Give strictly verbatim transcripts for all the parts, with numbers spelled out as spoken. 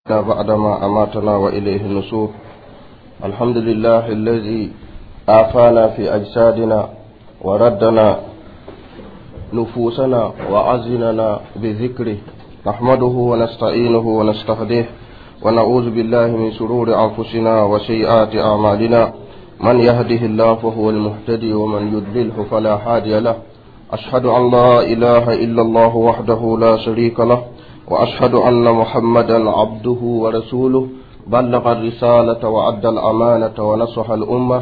بعدما أماتنا وإليه النشور. الحمد لله الذي آفانا في أجسادنا وردنا نفوسنا وعزننا بذكره. نحمده ونستعينه ونستهديه ونعوذ بالله من شرور أنفسنا وسيئات أعمالنا. من يهده الله فهو المهتدي ومن يضلله فلا هادي له. أشهد أن لا إله إلا الله وحده لا شريك له، وأشهد أن محمدا عبده ورسوله، بلغ الرسالة وأدى الأمانة ونصح الأمة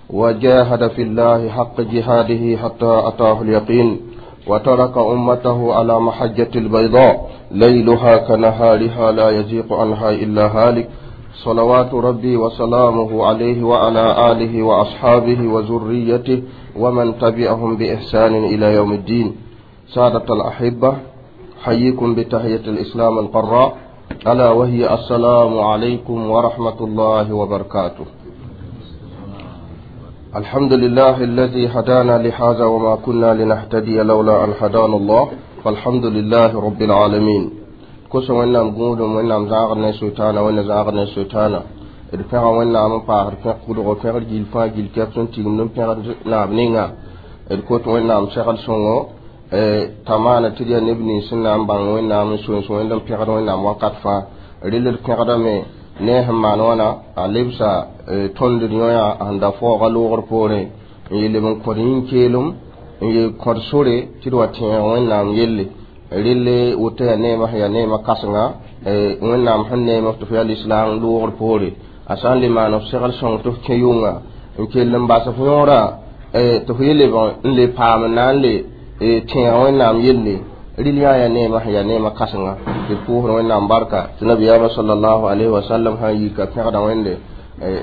وجاهد في الله حق جهاده حتى أتاه اليقين، وترك أمته على محجة البيضاء ليلها كنهارها لا يزيغ عنها إلا هالك. صلوات ربي وسلامه عليه وعلى آله وأصحابه وذريته ومن تبعهم بإحسان إلى يوم الدين. سادة الأحبة، حييكم بتحية الإسلام القراء، ألا وهي السلام عليكم ورحمة الله وبركاته. الحمد لله الذي هدانا لهذا وما كنا لنهتدي لولا أن هدانا الله، فالحمد لله رب العالمين. Kosa wẽnnaam gũudum, wẽnnaam zãagd ne sʋɩtaana, wẽnna zãagd ne sʋɩtaana. D pẽga wẽnnaam n paasd pẽg kʋdgo, pẽgd gill fãa gill kɛp sẽn tigimd n pẽgd naab ninga. D kot wẽnnaam segl sõngo t'a maana tɩ d yaa neb nins sẽn na n bãng wẽnnaam n soens wẽnd n pẽgd wẽnnaam wakat fãa. Rel d pẽgdame ne sẽn maan wãna, a lebsa tõnd d yõya sẽn da faooga loogr poorẽ n yeel b n kõd yĩn-keelem n yeel kõd sore tɩ d wa tẽeg wẽnnaam yelle. Relle woto yaa neema sẽn yaa neema kãsenga wẽnnaam sẽn neem tɩ f yaa lislaam loogr poore. A sã n le maan f segl sõng tɩ f kẽ yʋnga n kell n bas f yõorã tɩ f ye lebg n le paam n na n le tẽeg wẽnnaam yelle. Rɩl yã yaa neema sẽn yaa neema kãsenga tɩ d pʋʋsd wẽnnaam barka tɩ nabiyaamã sallallahu alayhi wa sallam sã n yika pẽgda wẽnde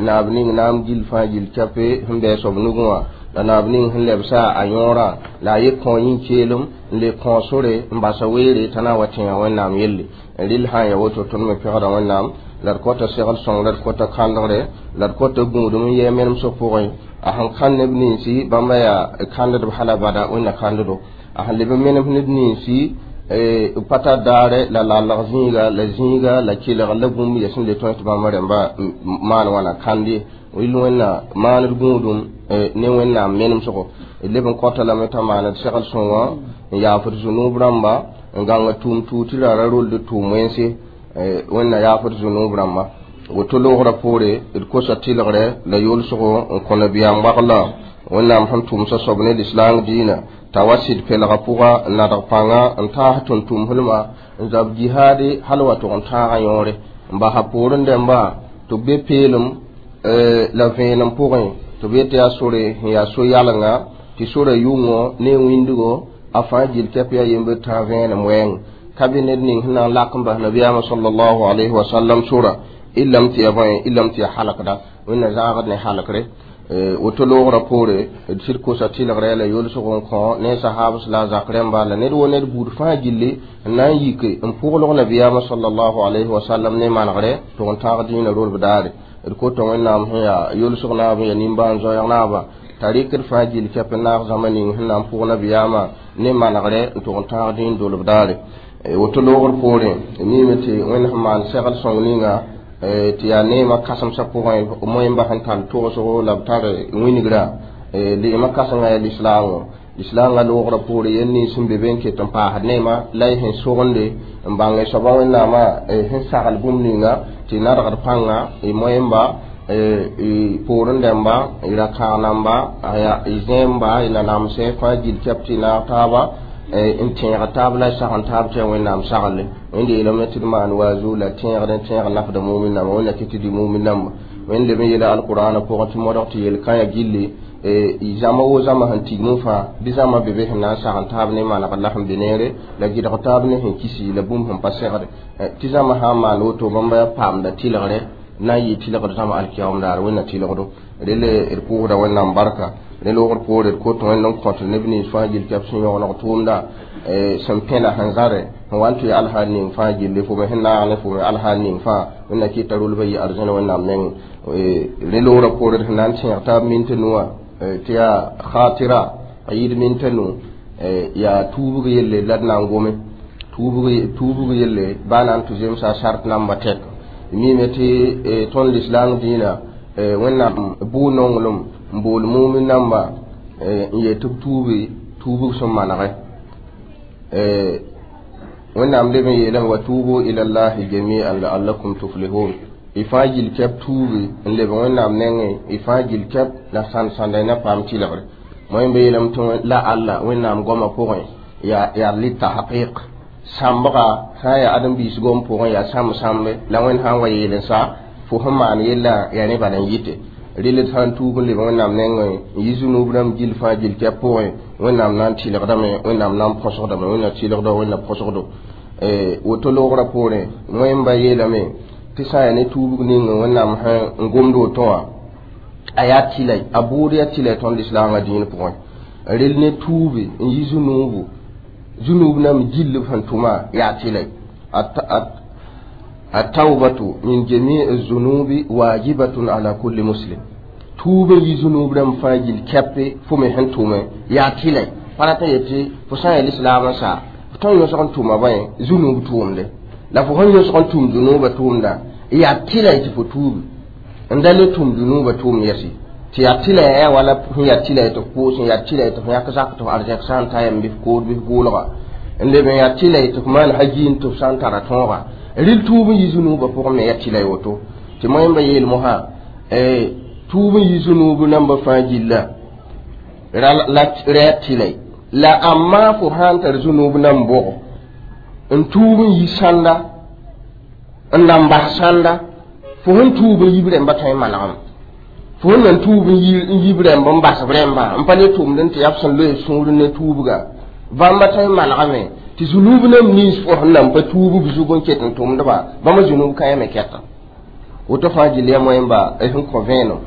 naab ning naam gill fãa gill kɛpe sẽn bɩ soab nugẽ wã, la naab ning sẽn lebsa a yõorã la a ye kõ yĩn-keelem n le kõ sore n basa weere t'a na n wa tẽega wẽnnaam yelle. Rɩl sã n ya woto tõnd me pẽgda wẽnnaam la d kota segl sõng, la d kota kãndgre, la d kota gũudum n yɛɛ menemsg pʋgẽ. A sẽn kãnd neb ninsi bãmba yaa kãndedb hala bada wẽnna kãndedo. A sẽn leb n menem ned ninsi b pa tar daare la lalg zĩiga la zĩiga la kelg la bũmb yaa sẽn le tõe tɩ bãmba rẽmba maan wãna kãnd ye. Rɩl wẽnna maand gũudum ne wẽnnaam menemsgo. D leb n kõta lame t'a maand segl sõngã n yaafd zũnuub rãmba n gãng tʋʋm tuud tɩ ra ra rold tʋʋm wẽnse. Wẽnna yaafd zũnuub rãmba. Woto loogrã poore d kosa tɩlgre la yolsgo n kõ nabiyaam wagla wẽnnaam sẽn tʋmsa soab ne lislaang dĩinã t'a wa sɩd pelga pʋga n nadg pãnga n taas tʋm-tʋmslma n zab jihaade hal wa tʋg n tãagã yõore n basa poorẽ dẽmba tɩ b be peelem la vẽenem pʋgẽ tɩ b yet yaa sore sẽn yaa so-yalenga tɩ sorã yʋngo ne wĩndgo a fãa gill kɛp yaa yembd tã vẽenem wɛɛng ka be ned ning sẽn na n lak n bas nabiyaamã sallallahu alayhi wa sallam sora illam tɩ ya bõe illam tɩ ya halkda wẽnna zãagd ne halkre. Woto loogrã poore d sɩd kosa tɩlgrɛ la yolsg n kõ ne sahabs la a zak rẽmba la ned wo ned buud fãa gilli n na n yik n pʋglg nabiyaamã sallallahu alayhi wa sallam ne manegre tɩ n tãag dĩinã rolb daare. D kota wẽnnaam sẽn yaa yolsg naab n yaa nimbãan-zoɛɛg naaba t'a rɩkd fãa gill kɛp n naag zãma ning sẽn na n pʋg nabiyaamã ne manegre n tʋg n tãag dĩin dolb daare. Woto loogr poorẽ miime tɩ wẽnd sẽn maan segl sõng ninga tɩ yaa neemã kãsemsã pʋgẽ moẽmba sẽn tar togsgo la b tar wĩngrã leema kãsengã yaa lislaangõ. Lislaangã loogrã poore yel nins sẽn be be n ket n paasd neema la y sẽn sogende n bãng soabã wẽnnaamã sẽn sagl bũmb ninga tɩ nadgd pãnga y moẽmba y poorẽ dẽmba y ra-kãag namba y zẽemba y nanamsẽ fãa gill kɛp tɩ y naag taaba n tẽeg taab la y sagn taab tɩ yaa wẽnnaam sagle. Wẽnd yeelame tɩ d maan waazu la tẽegd n tẽeg nafda mumin namba wẽnna kɩ tɩ dɩ mumin namba. Wẽnd leb n yeela alqur'ana pʋgẽ tɩ modg tɩ yel-kãyã gilli zãma wo zãma sẽn tigm fãa bɩ zãma be be sẽn na n sagn taab ne manegr la sẽn be neere la gɩdg taab ne sẽn kisi la bũmb sẽn pa segde tɩ zãma sã n maan woto bãmba yaa paamda tɩlgre na n yɩ tɩlgd zãma alkiyaoom daar wẽnna tɩlgdo. Rele d pʋʋsda wẽnnaam barka. Ne loogr poore d kot wẽnd n kõt neb nins fãa gill kɛp sẽn yõgeneg tʋʋmda sẽn pẽna sẽn zare sẽn wa n tɩ alhaal ning fãa gilli fo me sẽn naag ne fo me alhaal ning fãa wẽnna kɩta rolbã yɩ arzẽn wẽnnaam nengẽ. Ne loogrã poore d sẽn na n tẽeg taab minta nuwã tɩ yaa khatira a yɩɩd minta nu yaa tuubg yelle la d na n gome tuubg yelle baa na n tɩ zemsa sart namba tɛk. Mime tɩ tõnd lislaam dĩinã wẽnnaam bʋʋ nonglem n bool mumin namba n yet tɩ b tuubi tuubg sẽn manege wẽnnaam leb n yeelame wa tuubu ila llahi jamian laallakum tuflihun y fãa gill kɛb tuubi n leb wẽnnaam nengẽ y fãa gill kɛb la sãnd sãnda na paam tɩlgre moẽ be yeelame tɩ la alla wẽnnaam goamã pʋgẽ yaa yaa litahqiq sãmbga sã n yaa ãdem-biis gom pʋgẽ yaa sãmb sãmbe la wẽnd sã n wa yeel n sa fo sẽn maan yella yaa rẽ bala n yɩte rel d sã n tuub n leb wẽnnaam nengẽ n yi zũnub rãmb gill fãa gill kɛb pʋgẽ wẽnnaam na n tɩlgdame wẽnnaam na n põsgdame wẽnnaam tɩlgdo wẽnnaam põsgdo woto loogrã poorẽ wẽmba yeelame tɩ sã n yaa ne tuubg ning wẽnnaam sẽn n gomd woto wã a yaa tɩla a bʋʋd yaa tɩla tõnd lislaangã dĩin pʋgẽ rel ne tuubi n yi zũnuubu zũnuub nam gill b sẽn tʋma yaa tɩla التوبة من جميع الذنوب واجبة على كل مسلم توبة يذنوب رم فاجل كبه فمي هنتومه يا تيلي فلا يتي فسان الإسلام سا فتون يسقن توما بين ذنوب توم ده لا فهون يسقن توم ذنوب توم ده يا تيلي تفتوب عندما توم ذنوب توم يسي تيا تيلي يا ولا يا تيلي تفوس يا تيلي تفيا كزاك تو أرجع سان تايم بيفكور بيفقولها عندما يا تيلي تفمان حجين تفسان ترى تونغا ril tuub n yi zũnuubã pʋgẽ me yaa tɩla woto tɩ moẽmba yeel mosã tuub n yi zũnuub nambã fãa gilla ra yaa tɩla la amma fo sã n tar zũnuub nan bʋgo n tuub n yi sãnda n nan bas sãnda fo sẽn tuub n yib rẽmba tõe n manegame fo sẽn nan tuub n yib rẽmb n basb rẽmba n pa le tʋmd n tɩ yaa b sẽn loe sũur ne tuubga bãmba tõe n manegame tɩ zũnuub nam nins fo sẽn nan pa tuub b zug n ket n tʋmdba bãmba zũnuub kãe me kɛta woto fãa gill yaa moẽmba sẽn kõ vẽenem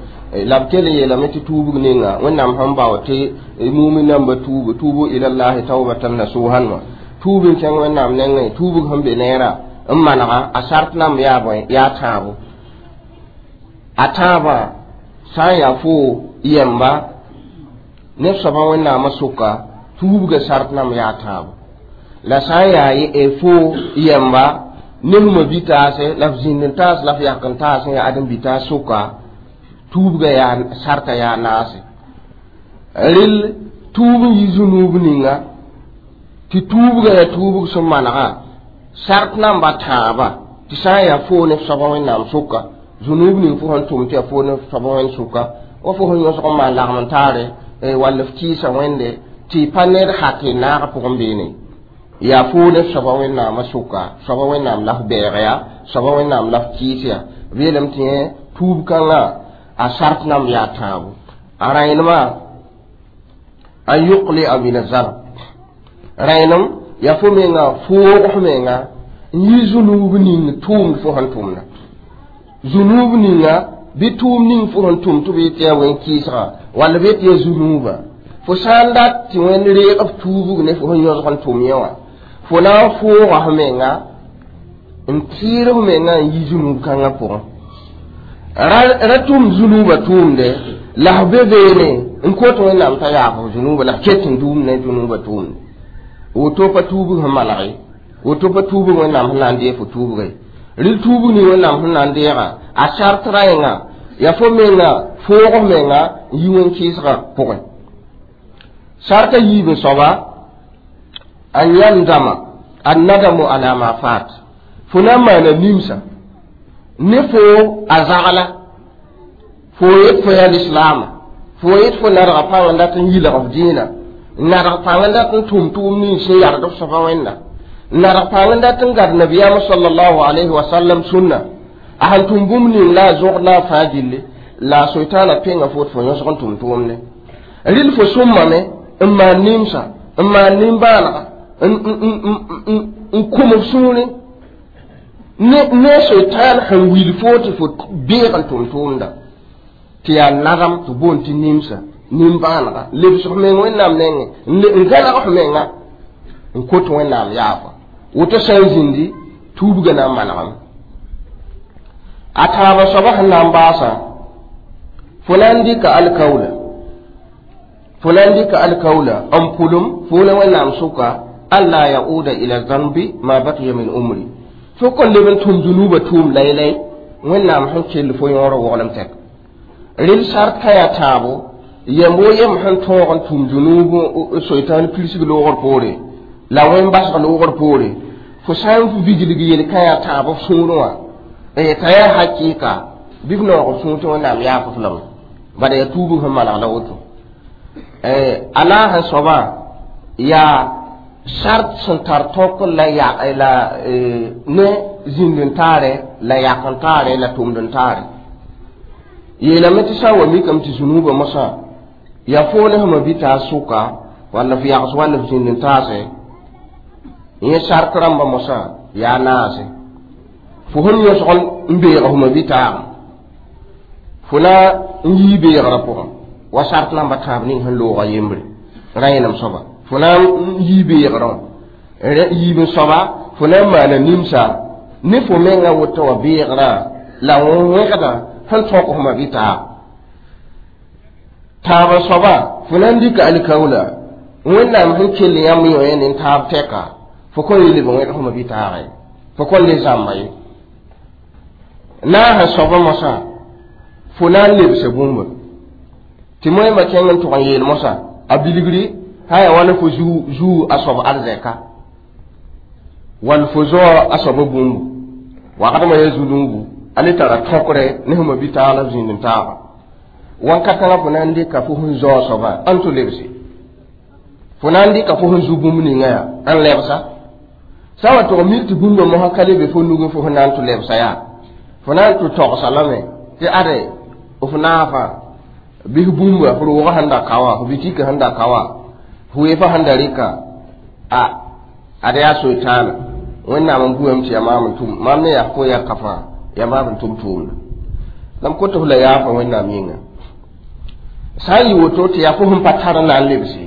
la b kell n yeelame tɩ tuubg ninga wẽnnaam sẽn bao tɩ mumin namba tuubu tuubu ila llahi taubatan nasuhan wã tuub n kẽng wẽnnaam nengẽ tuubg sẽn be neera n manega a sart namb yaa bõe yaa tãabo a tãabã sã n yaa fo yɛmba neb soabã wẽnnaamã sʋka tuubga sart namb yaa tãabo la sã n yaa fo yɛmba ne fma bi-taase la f zĩnd n taas la f yak n taas n yaa ãdem-bi-taas sʋka tuubga yaa sarta yaa naase rel tuub n yi zũnuub ninga tɩ tuubga yaa tuubg sẽn manega sart namba tãaba tɩ sã n yaa foo ne f soaba wẽnnaam sʋka zũnuub ning fo sẽn tʋm tɩ yaa foo ne f soaba wẽnd sʋka wa fo sẽn yõsg n maan lagem n taare wall f kɩɩsa wẽnde tɩ pa ned hak n naag pʋgẽ beene yaa foo ne soaba wẽnnaamã sʋka soaba wẽnnaam la f bɛɛg yaa soaba wẽnnaam la f kɩɩs yaa b yeelame tɩ yẽ tuub kãngã a sart namb yaa tãabo a rãenemã an yuqlia min azanb rãenem yaa fo menga foog f menga n yi zũnuub ning tʋʋmd fo sẽn tʋmda zũnuub ninga bɩ tʋʋm ning fo sẽn tʋm tɩ b yetɩ yaa wẽn-kɩɩsga wall b yetɩ yaa zũnuubã fo sã n dat tɩ wẽnd reeg f tuubg ne fo sẽn yõsg n tʋm yẽ wã fo na n fooga f menga n tɩɩr f menga n yi zũnuub kãngã pʋgẽ ra tʋm zũnuubã tʋʋmde la f be beene n kot wẽnnaam t'a yaaf f zũnuubã la f ket n duum ne zũnuubã tʋʋmde woto pa tuubg sẽn manege woto pa tuubg wẽnnaam sẽn na n deeg fo tuubge rel tuubg ning wẽnnaam sẽn na n deega a sart rãenga yaa fo menga foog f menga n yi wẽn-kɩɩsgã pʋgẽ sarta yiib n soaba an yandama annadamu ala ma fat fo na n maana nimsa ne fo a zagla fo yet fo yaa lislaama fo yet fo nadga pãng n dat n yilg f dĩinã n nadg pãng n dat n tʋm tʋʋm nins sẽn yard f soaba wẽnna n nadg pãng n dat n gad nabiyaamã sallallahu alayhi wa sallam sũnna a sẽn tʋm bũmb ning la a zogd la a fãa gilli la a soitaana pẽnga fo tɩ fo yõsg n tʋm tʋʋmde rɩl fo sõmame n maan nimsa n maan nimbãanega n kʋm f sũurẽ ne ne soitaan sẽn wil fo tɩ fo beeg n tʋm tʋʋmda tɩ yaa nadam tɩ boond tɩ nimsa nimbãanega lebs f meng wẽnnaam nengẽ n gãneg f menga n kot wẽnnaam yaafa woto sã n zĩndi tuubga na n manegame a tãabã soaba sẽn na n baasa fo na n dɩka alkaula fo na n dɩka alkaula n pʋlem fo la wẽnnaam sʋka an la yauda ila zanbi ma baqiya min umri fo kõn leb n tʋm zũnuubã tʋʋm laylay Wẽnnaam sẽn kell fo yõor woglem tɛk rel sart ka yaa tãabo yembo yem sẽn tõog n tʋm zũnuub soitan pirsg loogr poore la wẽn basg loogr poore fo sã n viglg yel-kã yaa tãab f sũurẽ wã t'a yaa hakɩɩka bɩ f noog f sũur tɩ Wẽnnaam yaaf f lame bala yaa tuubg sẽn maneg la woto a naas n soabã yaa sart sẽn tar tõk la ya la ne zĩnd-n-taare la yak-n-taare la tʋmd-n-taare yeelame tɩ sã n wa mikame tɩ zũnuubã mosã yaa foo ne sẽma bɩ t'a sʋka walla f yags walla f zĩnd-n-taase yẽ sart rãmbã mosã yaa naase fo sẽn yõsg n beeg fma bɩ taag fo na n yii beegrã pʋgẽ wa sart namba tãab ning sẽn looga yembre rã yẽnem soaba fo na n yii beegrã yiib n soaba fo na n maana nimsa ne fo menga woto wa beegrã la wẽgdã sẽn tõk fma bɩ taag tãabã soaba fo na n dɩka alikaoola Wẽnnaam sẽn kell yãmb yõ ne taab tɛka fo kõn le leb n wẽg fma bɩ taage fo kõn le zãmba ye naasã soabã mosã fo na n lebsa bũmba tɩ moẽmba kẽng n tʋg n yeel mosã a bilgri sã yaa wala fo zuu a soab arzɛka wall fo zao a soaba bũmbu wagdmã yaa zu-nuubu a le tara tõkre ne sẽn bɩ taag la zĩnd n taaga wãn-ka-kãngã fo na n dɩka fo sẽn zao soabã ãn tɩ lebse fo na n dɩka fo sẽn zu bũmb ninga yaa ãn lebsa sã n wa tʋg mik tɩ bũmba mosã ka le be fo nugẽ fo sẽn na n tɩ lebsa yaa fo na n tɩ togsa lame tɩ ade f naafã bɩs bũmba f roogã sẽn da ka wã f bitika sẽn da ka wã f weefã sẽn da rɩka a ad yaa soetãana Wẽnnaam n buame tɩ yaa maam n tʋm maam ne yaa fo yaa ka fãa yaa maam n tʋm tʋʋmda la m kõt f la yaafa Wẽnnaam yĩnga sã n yɩ woto tɩ yaa fo sẽn pa tar n na n lebse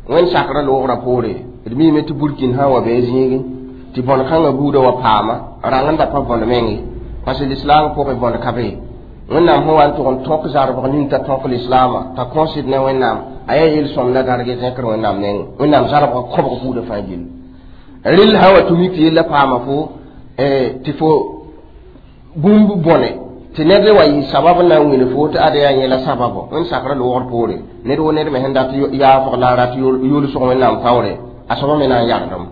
Wẽnd sakrã loogrã poore d miime tɩ burkin sã n wa bɩ zĩigẽ tɩ bõn-kãngã buudã wa paama rãng n da pa bõn menge parce que l'islam pʋgẽ bõn ka be Wẽnnaam sẽn wa n tʋg n tõk zarbg ning t'a tõk lislaamã t'a kõsd ne Wẽnnaam a yaa yel-sõmda darge zẽkr Wẽnnaam nengẽ Wẽnnaam zarbgã kõbg buudã fãa gill rel sã wa tʋ mik tɩ yella paama fo tɩ fo bũmb bõne tɩ ned wa yɩ sabab n na n wĩne fo tɩ ad yaa yẽla sababo Wẽnd sakrã loogr poore ned wo ned me sẽn dat yaafg la a rat yʋlsg Wẽnnaam taoore a soaba me na n yagdem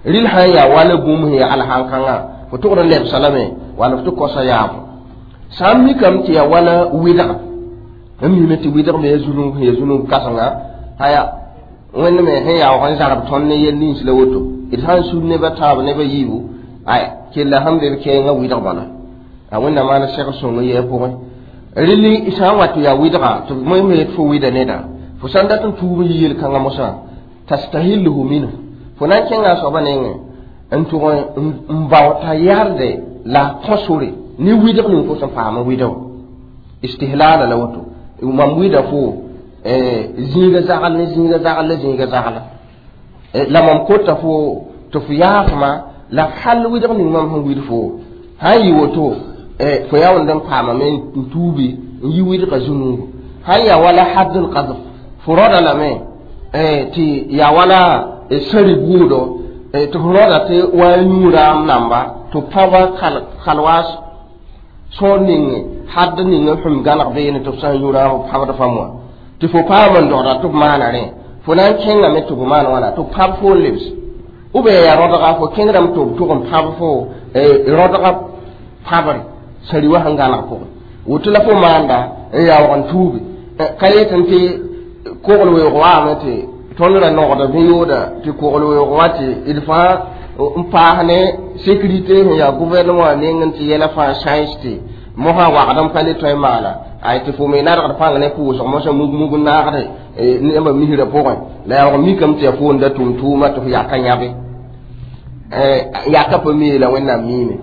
rɩl sã n yaa wala bũmb sẽn yaa alhãn-kãngã fo tʋgd n lebsa lame wala f tɩ kosa yaafo sã n mikame tɩ yaa wala wɩdga n mime tɩ wɩdg me yaa zũnug sẽn yaa zũnug kãsenga aya Wẽnd me sẽn yaoog n zarb tõnd ne yel nins la woto d sã n sud neba tãab neba yiibu aya kella sẽn be b kɛɛngã wɩdg bala a Wẽnnaam maana segr sõng n yɩ a pʋgẽ rɩl sã n wa tɩ yaa wɩdga tɩ me yet fo wɩda neda fo sã n dat n tuub n yɩ yel-kãngã mosã tastahilluhu minhu fo na n kẽnga a soabã nengẽ n tʋg n bao t'a yarde la a kõ sore ne wɩdg ning fo sẽn paam n wɩda wã istihlaala la woto mam wɩda fo zĩiga zagl ne zĩiga zagl la zĩiga zagla la mam kota fo tɩ fo yaafma la f hal wɩdg ning mam sẽn wɩd fo sã n yɩ woto fo yaa wẽnd n paamame n tuubi n yi wɩdgã zũnuugu sã n yaa wala hadd l qazf fo rõda lame tɩ yaa wala sãri buudo tɩ fo rõda tɩ wa yũ raam namba tɩ pãba kalwaas sõor ning hadd ning sẽn gãneg beene tɩ f sã n yũ raam pãbd fãm wã tɩ fo paam n dogda tɩ f maana rẽ fo na n kẽngame tɩ b maan wãna tɩ b pãb fo n lebs ou bien yaa rõdga fo kẽngdame tɩ b tʋg n pãb fo rõdga pãbre sãri wã sẽn gãneg pʋgẽ woto la fo maanda n yaoog n tuubi ka yetẽ tɩ kogl weoog waame tɩ tõnd ra nogda bẽ-yooda tɩ kogl weoog wã tɩ d fãa n paas ne sécurité sẽn yaa gouvernement wã neng n tɩ yɛla fãa sãens tɩ mosã wagd n pa le tõe n maana ay tɩ fo me nadgd pãng ne pʋʋsg mosã mug-mug n naagde nembã misrã pʋgẽ la yaoog mikame tɩ yaa foon da tʋm tʋʋma tɩ fo yaka yãbe yaka pa mii la Wẽnnaam miime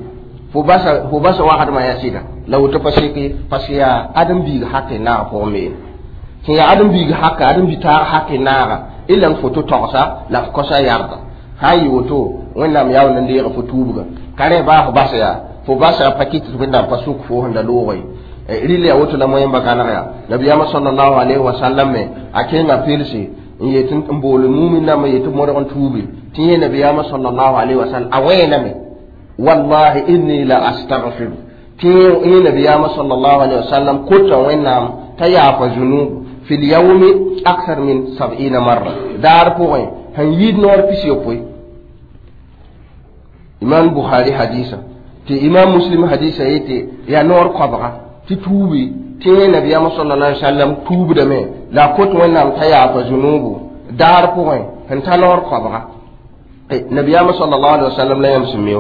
fo basa fo basa wagdmã yaa sɩda la woto pa seke parce que yaa ãdem-biig hak n naag pʋgẽ meene sẽn yaa ãdem-biig haka ãdem-bi-taag hak n naaga illa n fo tɩ togsa la f kosa yarda sã n yɩ woto Wẽnnaam yaa wẽnd n deega fo tuubga ka rẽ baa fo basa yaa fo basa pa kɩt tɩ Wẽnnaam pa sʋk fo sẽn da loogã ye rɩl yaa woto la moẽmba gãneg yaa nabiyaamã sallallahu alayhi wa sallam me a kẽnga pelse n yet n bool mumin nambã yetɩ modg n tuubi tɩ yẽ nabiyaamã sallallahu alayhi wa sallam a wẽename wallahi inni la astaghfiru Tɩ yẽ nabiyaamã sallallahu alaihi wasallam kota Wẽnnaam t'a yaafa zunub fi lyawmi akthar min sab'ina marra daar pʋgẽ sẽn yɩɩd noor pis-yopoe. Imam Bukhari hadisa tɩ Imam Muslim hadisa yetɩ yaa noor koabga tɩ tuubi tɩ yẽ nabiyaamã sallallahu alaihi wasallam tuubdame la a kot Wẽnnaam t'a yaafa zunubu daar pʋgẽ sẽn ta noor koabga. Nabiyaamã sallallahu alaihi wasallam la yãmb sẽn mi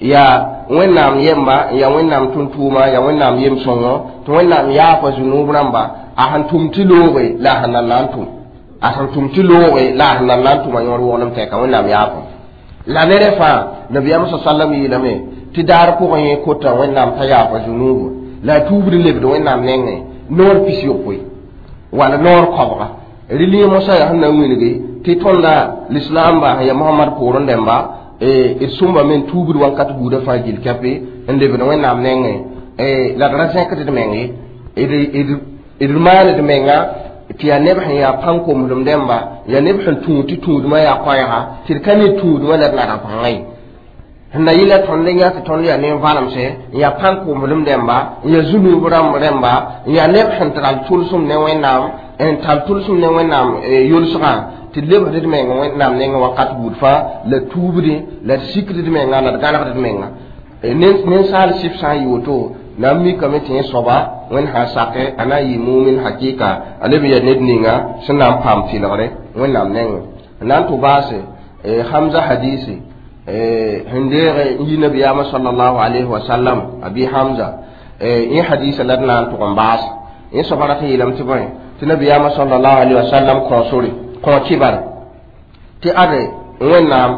yaa Wẽnnaam yemba, yaa Wẽnnaam tʋm-tʋʋma, yaa Wẽnnaam yem-sõngo tɩ Wẽnnaam yaafa zunub rãmba a sẽn tʋm tɩ looge la a sẽn nan na n tʋm, a sẽn tʋm tɩ looge la a sẽn nan na n tʋma yõor woglem tɛka Wẽnnaam yaafa la ne rẽ fãa. Nabiyaamã sa sallam yeelame tɩ daar pʋgẽ yẽ kota Wẽnnaam t'a yaafa zunubu la a tuubd n lebd Wẽnnaam nengẽ noor pis-yopoe wala noor koabga. Rɩ mosã yaa sẽn na n wilgi tɩ tõnda lislaamba sẽn yaa Mohamad poorẽ dẽmba d sõmba me n tuubd wãnkat buudã fãa gill kɛpe n lebd Wẽnnaam nengẽ la d ra zẽkd d meng ye, d maan d menga tɩ yaa neb sẽn yaa pãn-komslem dẽmba, yaa neb sẽn tũud tɩ tũudmã yaa koɛɛga tɩ d ka ne tũudmã la d nada pãngã ye. Sẽn na yɩla tõnd n yã tɩ tõnd yaa nen-valemse n yaa pãn-komslem dẽmba n yaa zunub rãmb rẽmba n yaa neb sẽn tar tʋlsem ne Wẽnnaam n tar tʋlsem ne Wẽnnaam yolsgã tɩ d lebsd d meng Wẽnnaam nengẽ wakat buud fãa la tuubdẽ la d sikd d menga la d gãnegd d menga. Ninsaal sɩf sã n yɩ woto na n mikame tɩ yẽ soaba Wẽnd sã n sake a na n yɩ mumin hakɩka a leb n yaa ned ninga sẽn na n paam tɩlgre Wẽnnaam nengẽ. N na n tʋ baase Hamza hadisi sẽn deege n yi nabiyaamã sallallahu alayhi wa sallam Abi Hamza yẽ hadisa la d na n tʋg n baas yẽ soaba rat n yeelame tɩ bõe tɩ nabiyaamã sallallahu alayhi wa sallam kõ sore kõ kibare tɩ ade Wẽnnaam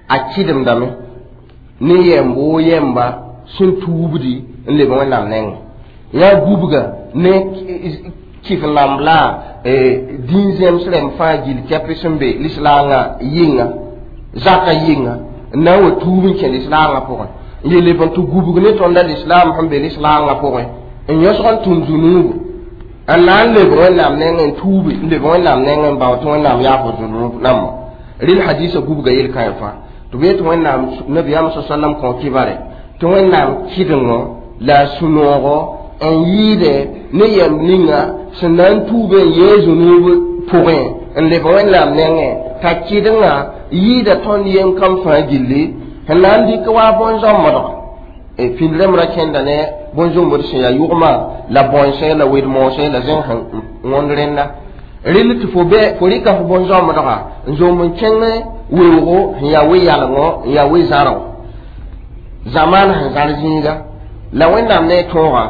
a kɩdemdame ne yɛmb woo yɛmba sẽn tuubdi n leb Wẽnnaam nengẽ yaa gubga ne kɩf namb la dĩn-zẽms rẽmb fãa gill kɛp sẽn be lislaangã yɩnga zaka yɩnga n na n wa tuub n kẽ lislaangã pʋgẽ n yeel leb n tɩ gubg ne tõnda lislaam sẽn be lislaangã pʋgẽ n yõsg n tũm zunuubu n na n leb Wẽnnaam nengẽ n tuubi n leb Wẽnnaam nengẽ n bao tɩ Wẽnnaam yaaf zunub namba. Rɩl hadisa gubga yel-kãe fãa tɩ b yet Wẽnnaam nabiyaam sa sallam kõ kibare tɩ Wẽnnaam kɩdengo la a sũ-noogo n yɩɩde ne yɛmb ninga sẽn na n tuube n yee zunub pʋgẽ n leb Wẽnnaam nengẽ t'a kɩdengã yɩɩda tõnd yem kam fãa gilli sẽn na n dɩk wa bõn-zãmbdga pĩnd rãmb ra kẽnda ne bõn-zõmbd sẽn yaa yʋgmã la bõnsẽ la wed-moosẽ la zẽng sẽn wõnd rẽnda rɩl tɩ fo bɛ fo rɩka fo bõn-zãmbdga n zomb n kẽng weoogo sẽn yaa we-yalengõ n yaa we-zãrgo zamaan sẽn zãr zĩiga la Wẽnnaam ne a tõoga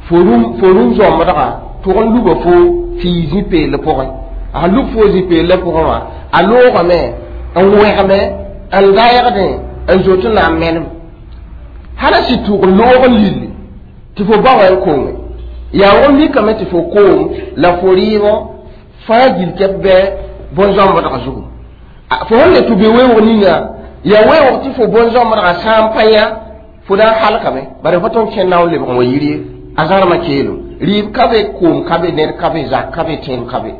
fo rũm zãmbdga tʋg n luba fo tɩ yɩ zĩ-peelã pʋgẽ a sẽn lub fo zĩ-peelã pʋgẽ wã a loogame n wẽgme n daɛgdẽ n zoet n na n menem hala sɩ tʋg n loog n lilli tɩ fo ba wa n konge yaa wʋg n mikame tɩ fo koom la fo rɩɩbõ fãa gill kɛp bɩ bõn-zãmbdga zugu fo sẽn le tɩ be weoog ninga yaa weoog tɩ fo bõn-zãmbdga sã n pa yã fo na n halkame bare fo tõnd kẽnd na n lebg n wa yir ye a zãrmã keelem rɩɩb ka be koom ka be ned ka be zak ka be tẽem ka be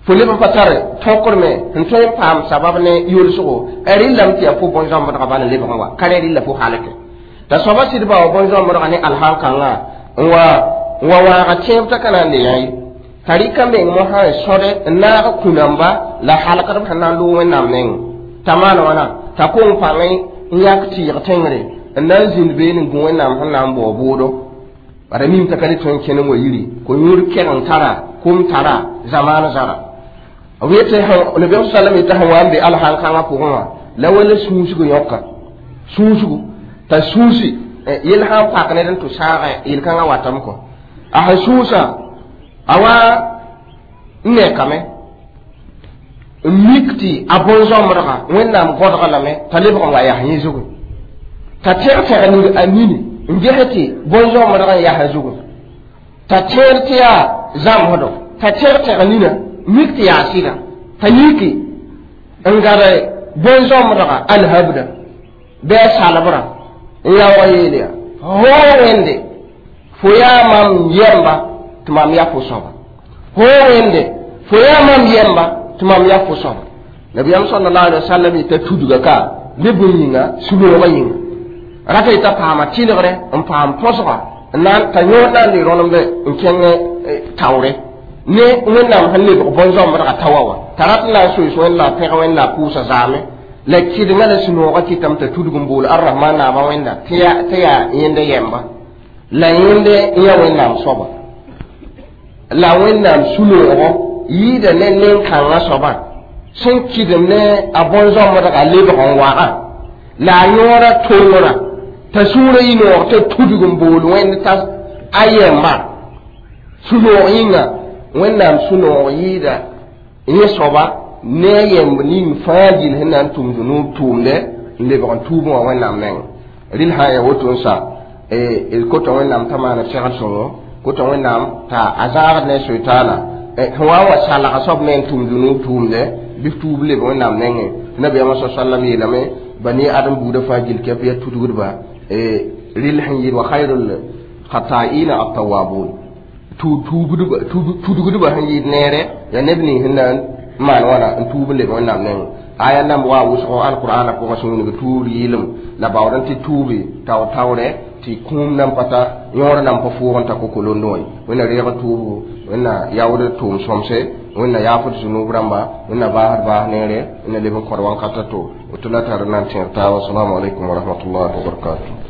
fo leb n pa tar tõkr me sẽn tõe n paam sabab ne yolsgo rɩllame tɩ yaa fo bõn-zãmbdga bal n lebg n wa ka rẽ rɩlla fo halke t'a soaba sɩd ba wa bõn-zãmbdga ne alhan-kãngã n wa n wa waaga tẽeb t'a ka na n le yã ye t'a rɩka meng mosã n sõde n naag kũ-namba la halkdb sẽn na n loog Wẽnnaam nengẽ t'a maan wãna t'a kong pãngẽ n yãk tɩɩg tẽngre n na n zĩnd beene n gũ Wẽnnaam sẽn na n bao bʋʋdo bara mim t'a ka le tõe n kẽn n wa yiri ko-yũud kɛg n tara kom tara zamaan zara b yetɩ nabiyaam sallam yetɩ sẽn wa n be alhan-kãngã pʋgẽ wã la wala sũusg yõka sũusgu t'a sũusi yel sã n pak ned n tʋ sãagẽ yel-kãngã watame kɔ a sẽn sũusã a wa n nekame n mik tɩ a bõn-zãmbdga Wẽnnaam gõdga lame t'a lebg n wa yaa yẽ zugu t'a tẽg-tẽg ning a nini n ges tɩ bõn-zãmbdg n yaa zugu t'a tẽed tɩ yaa zãmsdo t'a tẽg-tẽg nina mik tɩ yaa sɩda t'a yiki n gad bõn-zãmbdga alhabda bɩ a salbrã n yaoog yeel yaa foo Wẽnde fo yaa mam yɛmba tɩ mam yaa fo soaba foo Wẽnde fo yaa mam yɛmba tɩ mam yaa fo soaba nabiyaam sallallahu alaihi wasallam yeta tudga ka ne bũmb yĩnga sũ-noogã yĩnga Rata yeta paama tɩlgre n paam põsga n na t'a yõod na n le rõnemde n kẽng taoore ne wẽnnaam sẽn lebg bõn-zãmbdga taoa wã t'a rat n na n soees wẽnd la a pẽg wẽnd la a pʋʋsa zaame la kɩdengã la sũ-noogã kɩtame t'a tudg n bool arrahman naabã wẽnda tɩ yaa yẽnd yɛmba la yẽnd n yaa wẽnnaam soaba la wẽnnaam sũ-noogɔ yɩɩda ne nen-kãngã soabã sẽn kɩdem ne a bõn-zãmbdga lebg n wagã la a yõoda tongrã t'a sũurã yɩ noog t'a tudg n bool wẽnd t'a a yɛmba sũ-noog yĩnga wẽnnaam sũ-noog yɩɩda yẽ soaba ne a yɛmb ning fãa gill sẽn na n tʋm zũnuub tʋʋmdɛ n lebg n tuubẽ wã wẽnnaam nengẽ rɩl sã n yaa woto n sa d kota wẽnnaam t'a maana segd sõngo kota wẽnnaam t'a a zãagd ne soitaana sẽn wa n wa salga soab me n tʋm zũnuub tʋʋmdɛ bɩ f tuub leb wẽnnaam nengẽ nabiyaamã sa sallam yeelame bani adem buudã fãa gill kɛp yaa tudgdba rɩl sẽn yɩɩd wa khayrul khata'ina at-tawwabun tudgdba sẽn yɩɩd neere yaa neb nins sẽn na n maan wãna n tuub n leb wẽnnaam nengẽ aya namb wa wʋsgo alqur'ana pʋgã sẽn wilg tuubd yɩɩlem la baood n tɩ tuubi taoor taoorɛ tɩ kũum nan pa ta yõor nan pa fʋʋg n ta kokolondo wã ye wẽnna reeg tuubu wẽnna yaood tʋʋm sõmse wẽnna yaafd zũnub rãmba wẽnna baasd baas neere wẽnna leb n kõd wãnkata to woto la tar n na n tẽeg taaba assalamu alaikum wa rahmatullahi wa barakatuh.